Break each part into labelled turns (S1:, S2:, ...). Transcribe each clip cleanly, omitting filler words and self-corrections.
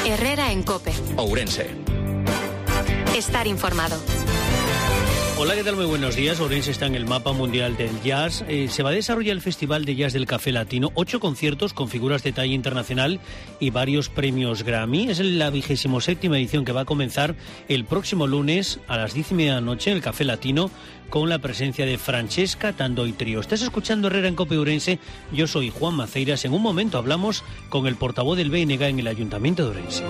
S1: Herrera en COPE.
S2: Ourense.
S1: Estar informado.
S3: Hola, ¿qué tal? Muy buenos días. Ourense está en el mapa mundial del jazz. Se va a desarrollar el Festival de Jazz del Café Latino. 8 conciertos con figuras de talla internacional y varios premios Grammy. Es la 27ª edición que va a comenzar el próximo lunes a las 10:30 de la noche en el Café Latino con la presencia de Francesca Tandoi Trío. Estás escuchando Herrera en COPE Ourense. Yo soy Juan Maceiras. En un momento hablamos con el portavoz del BNG en el Ayuntamiento de Ourense.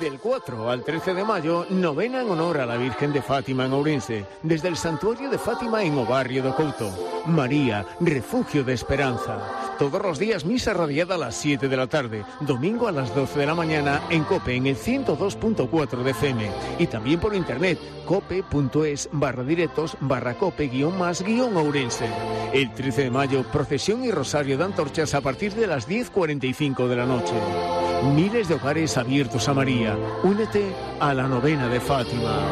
S4: Del 4 al 13 de mayo, novena en honor a la Virgen de Fátima en Ourense, desde el Santuario de Fátima en o Barrio do Couto. María, refugio de esperanza. Todos los días misa radiada a las 7 de la tarde, domingo a las 12 de la mañana en COPE en el 102.4 de FM y también por internet cope.es/directos/cope-más-ourense. El 13 de mayo, procesión y rosario de antorchas a partir de las 10:45 de la noche. Miles de hogares abiertos a María. Únete a la novena de Fátima.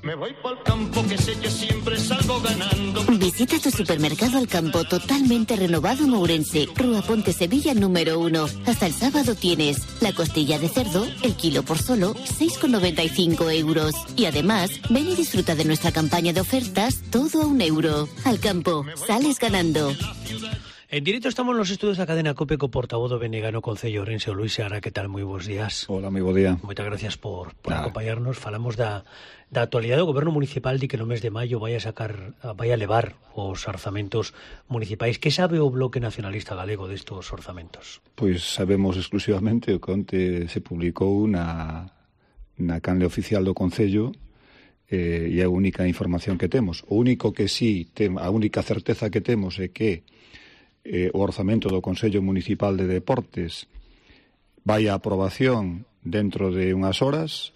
S5: Me voy pa'l campo que sé que siempre salgo ganando.
S6: Visita tu supermercado Al Campo totalmente renovado en Ourense, Rúa Ponte Sevilla número 1. Hasta el sábado tienes la costilla de cerdo, el kilo por solo 6,95 euros. Y además, ven y disfruta de nuestra campaña de ofertas, todo a €1. Al Campo, sales ganando.
S3: En directo estamos en los estudios da cadena COPE co portavoz do BNG no Concello Ourense, o Luis Seara. Que tal? Moi bons días.
S7: Hola, moi bo día.
S3: Moitas gracias por acompañarnos. Falamos da actualidade do Goberno Municipal de que no mes de maio vai a levar os orzamentos municipais. Que sabe o Bloque Nacionalista Galego destos orzamentos?
S7: Pois sabemos exclusivamente o que onte se publicou na canle oficial do Concello, e a única información que temos. O único que sí, a única certeza que temos é que o orzamento do Consello Municipal de Deportes vai a aprobación dentro de unhas horas.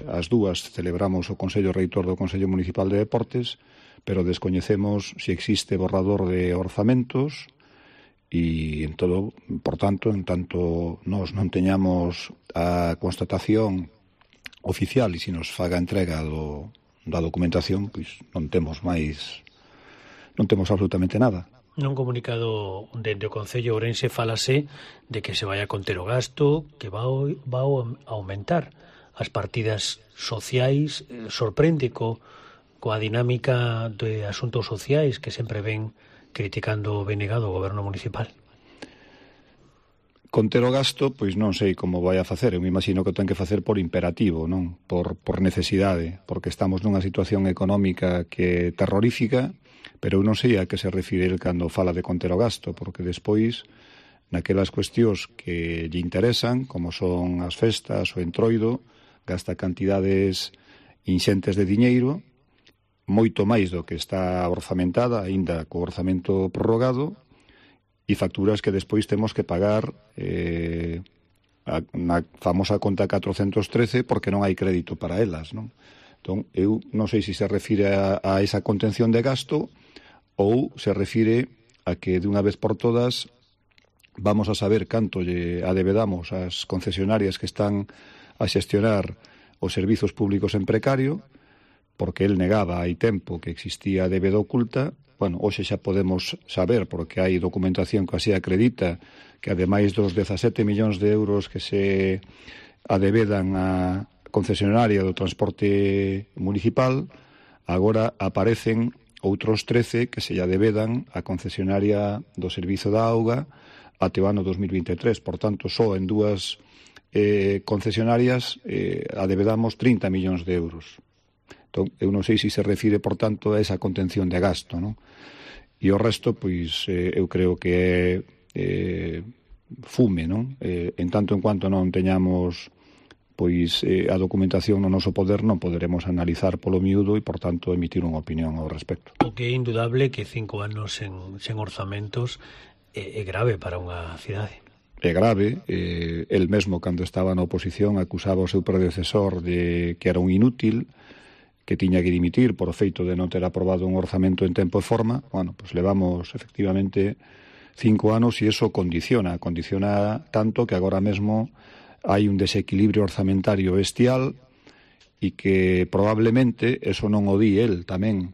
S7: As dúas celebramos o Consello Reitor do Consello Municipal de Deportes, pero descoñecemos se existe borrador de orzamentos e en todo, por tanto, en tanto nós non teñamos a constatación oficial e se nos faga entrega da documentación, pois non temos absolutamente nada.
S3: Nun comunicado dende o Concello Ourense falase de que se vai a conter o gasto, que va a aumentar as partidas sociais. Sorprende coa dinámica de asuntos sociais que sempre ven criticando o BNG do Goberno Municipal.
S7: Conter o gasto, pois non sei como vai a facer. Eu me imagino que o ten que facer por imperativo, non? Por necesidade, porque estamos nunha situación económica que é terrorífica. Pero eu non sei a que se refire el cando fala de conter o gasto, porque despois, naquelas cuestións que lle interesan, como son as festas, o entroido, gasta cantidades inxentes de diñeiro, moito máis do que está orzamentada, aínda co orzamento prorrogado, e facturas que despois temos que pagar na famosa conta 413 porque non hai crédito para elas, non? Entón, eu non sei se se refire a esa contención de gasto ou se refire a que de unha vez por todas vamos a saber canto lle adebedamos ás concesionarias que están a xestionar os servizos públicos en precario, porque el negaba hai tempo que existía débeda oculta. Bueno, hoxe xa podemos saber, porque hai documentación que así acredita, que ademais dos 17 millóns de euros que se adebedan a concesionaria do transporte municipal, agora aparecen outros 13 que se lle adebedan a concesionaria do servizo da auga até o ano 2023. Por tanto, só en dúas concesionarias adebedamos 30 millóns de euros. Entón, eu non sei se se refire, por tanto, a esa contención de gasto, non? E o resto, pois, eu creo que é fume, non? En tanto en cuanto non teñamos pois a documentación no noso poder, non poderemos analizar polo miúdo e, por tanto, emitir unha opinión ao respecto.
S3: O que é indudable que 5 anos sen orzamentos é grave para unha cidade.
S7: É grave. El mesmo, cando estaba na oposición, acusaba o seu predecesor de que era un inútil, que tiña que dimitir por o feito de non ter aprobado un orzamento en tempo e forma. Bueno, pois levamos, efectivamente, 5 anos e iso condiciona tanto que agora mesmo hai un desequilibrio orzamentario bestial e que probablemente, eso non o di el tamén,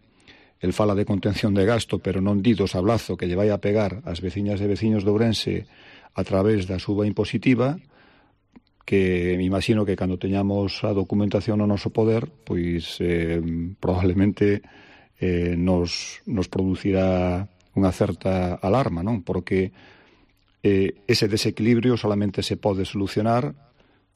S7: el fala de contención de gasto, pero non di do sablazo que lle vai a pegar ás veciñas e veciños de Ourense a través da suba impositiva, que me imagino que cando teñamos a documentación no noso poder, pois probablemente nos producirá unha certa alarma, non? Porque ese desequilibrio solamente se pode solucionar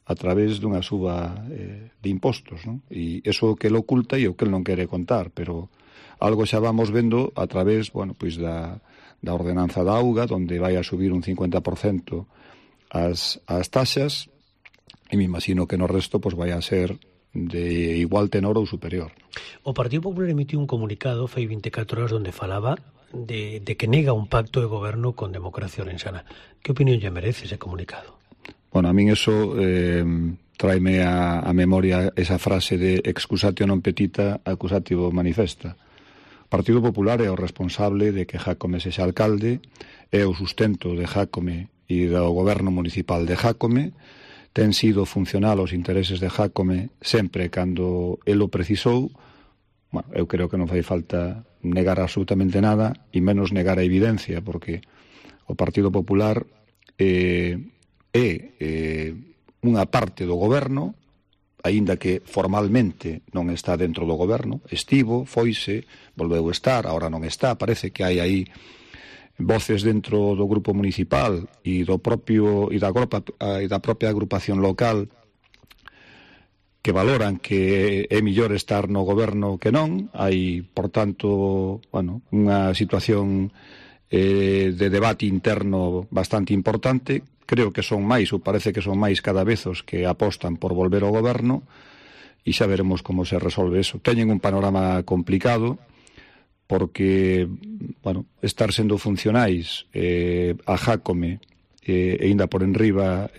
S7: a través dunha suba de impostos, non? E iso que lo oculta e o que non quere contar, pero algo xa vamos vendo a través, bueno, pois da ordenanza da auga, onde vai a subir un 50% as taxas, e me imagino que no resto pois vai a ser de igual tenor ou superior.
S3: O Partido Popular emitiu un comunicado fai 24 horas onde falaba de que nega un pacto de goberno con Democracia Orensana. Que opinión lle merece ese comunicado?
S7: Bueno, a min eso tráeme a memoria esa frase de excusatio non petita, accusatio manifesta. O Partido Popular é o responsable de que Jácome sexa alcalde, é o sustento de Jácome e do goberno municipal de Jácome, ten sido funcional aos intereses de Jácome sempre cando el o precisou. Bueno, eu creo que non fai falta negar absolutamente nada e menos negar a evidencia, porque o Partido Popular é unha parte do goberno, aínda que formalmente non está dentro do goberno, estivo, foise, volveu estar, agora non está, parece que hai aí voces dentro do grupo municipal e da propia agrupación local que valoran que é mellor estar no goberno que non. Hai, por tanto, bueno, unha situación de debate interno bastante importante. Creo que son máis, ou parece que son máis cada vez os que apostan por volver ao goberno, e xa veremos como se resolve eso. Teñen un panorama complicado, porque, bueno, estar sendo funcionais a Jácome e ainda por enriba,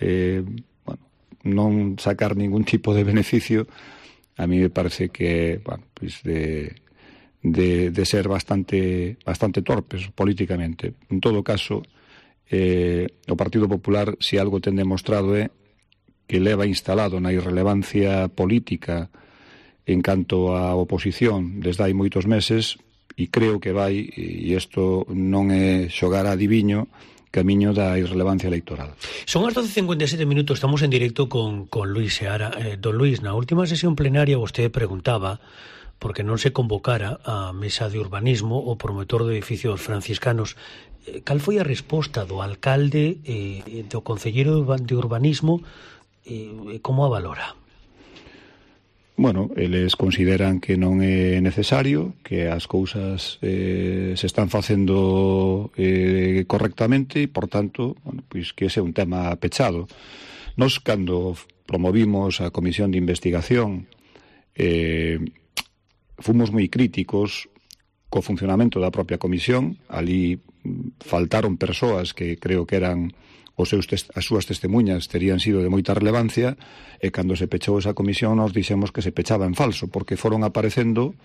S7: bueno, non sacar ningún tipo de beneficio, a mí me parece que, bueno, pues de ser bastante torpes políticamente. En todo caso, o Partido Popular, se algo ten demostrado é que leva instalado na irrelevancia política en canto á oposición desde hai moitos meses, e creo que vai, e isto non é xogar a adiviño, camiño da irrelevancia electoral.
S3: Son as 12:57 minutos, estamos en directo con Luis Seara. Don Luis, na última sesión plenaria vostede preguntaba porque non se convocara a mesa de urbanismo o promotor do edificio dos franciscanos. Cal foi a resposta do alcalde do concelleiro de urbanismo, como a valora?
S7: Bueno, eles consideran que non é necesario, que as cousas se están facendo correctamente e, por tanto, bueno, pois que ese é un tema pechado. Nos, cando promovimos a comisión de investigación, fomos moi críticos co funcionamento da propia comisión. Ali faltaron persoas que creo que eran as súas testemunhas terían sido de moita relevancia, e cando se pechou esa comisión nos dixemos que se pechaba en falso, porque foron aparecendo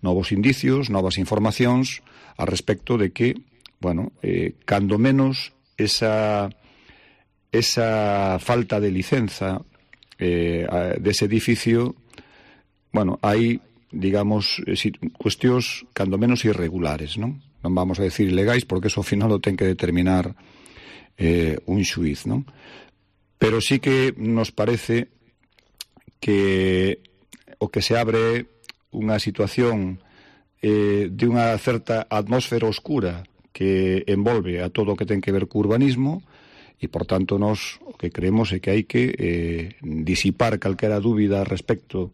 S7: novos indicios, novas informacións a respecto de que, bueno, cando menos esa falta de licenza dese edificio, bueno, hai, digamos, cuestións cando menos irregulares, non? Non vamos a decir ilegais, porque eso ao final o ten que determinar un xuiz, non? Pero sí que nos parece que o que se abre unha situación de unha certa atmósfera oscura que envolve a todo o que ten que ver co urbanismo, e, por tanto, nos o que creemos é que hai que disipar calquera dúbida respecto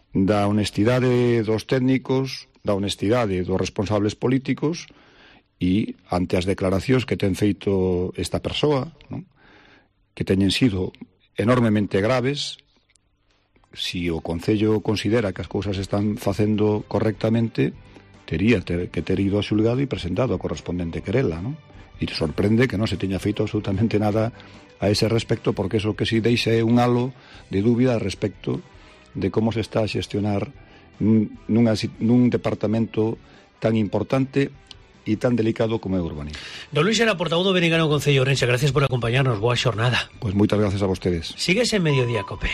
S7: da honestidade dos técnicos, da honestidade dos responsables políticos, e ante as declaracións que ten feito esta persoa, non? Que teñen sido enormemente graves, si o Concello considera que as cousas están facendo correctamente, tería que ter ido a xulgado e presentado a correspondente querela, non? E sorprende que non se teña feito absolutamente nada a ese respecto, porque eso que si deixa é un halo de dúbida respecto de como se está a xestionar nun departamento tan importante e tan delicado como é o urbanismo.
S3: Don Luis era portavoz do Benigano Concello Ourense. Gracias por acompañarnos. Boa xornada.
S7: Pois moitas gracias a vostedes.
S3: Síguese en Mediodía Cope.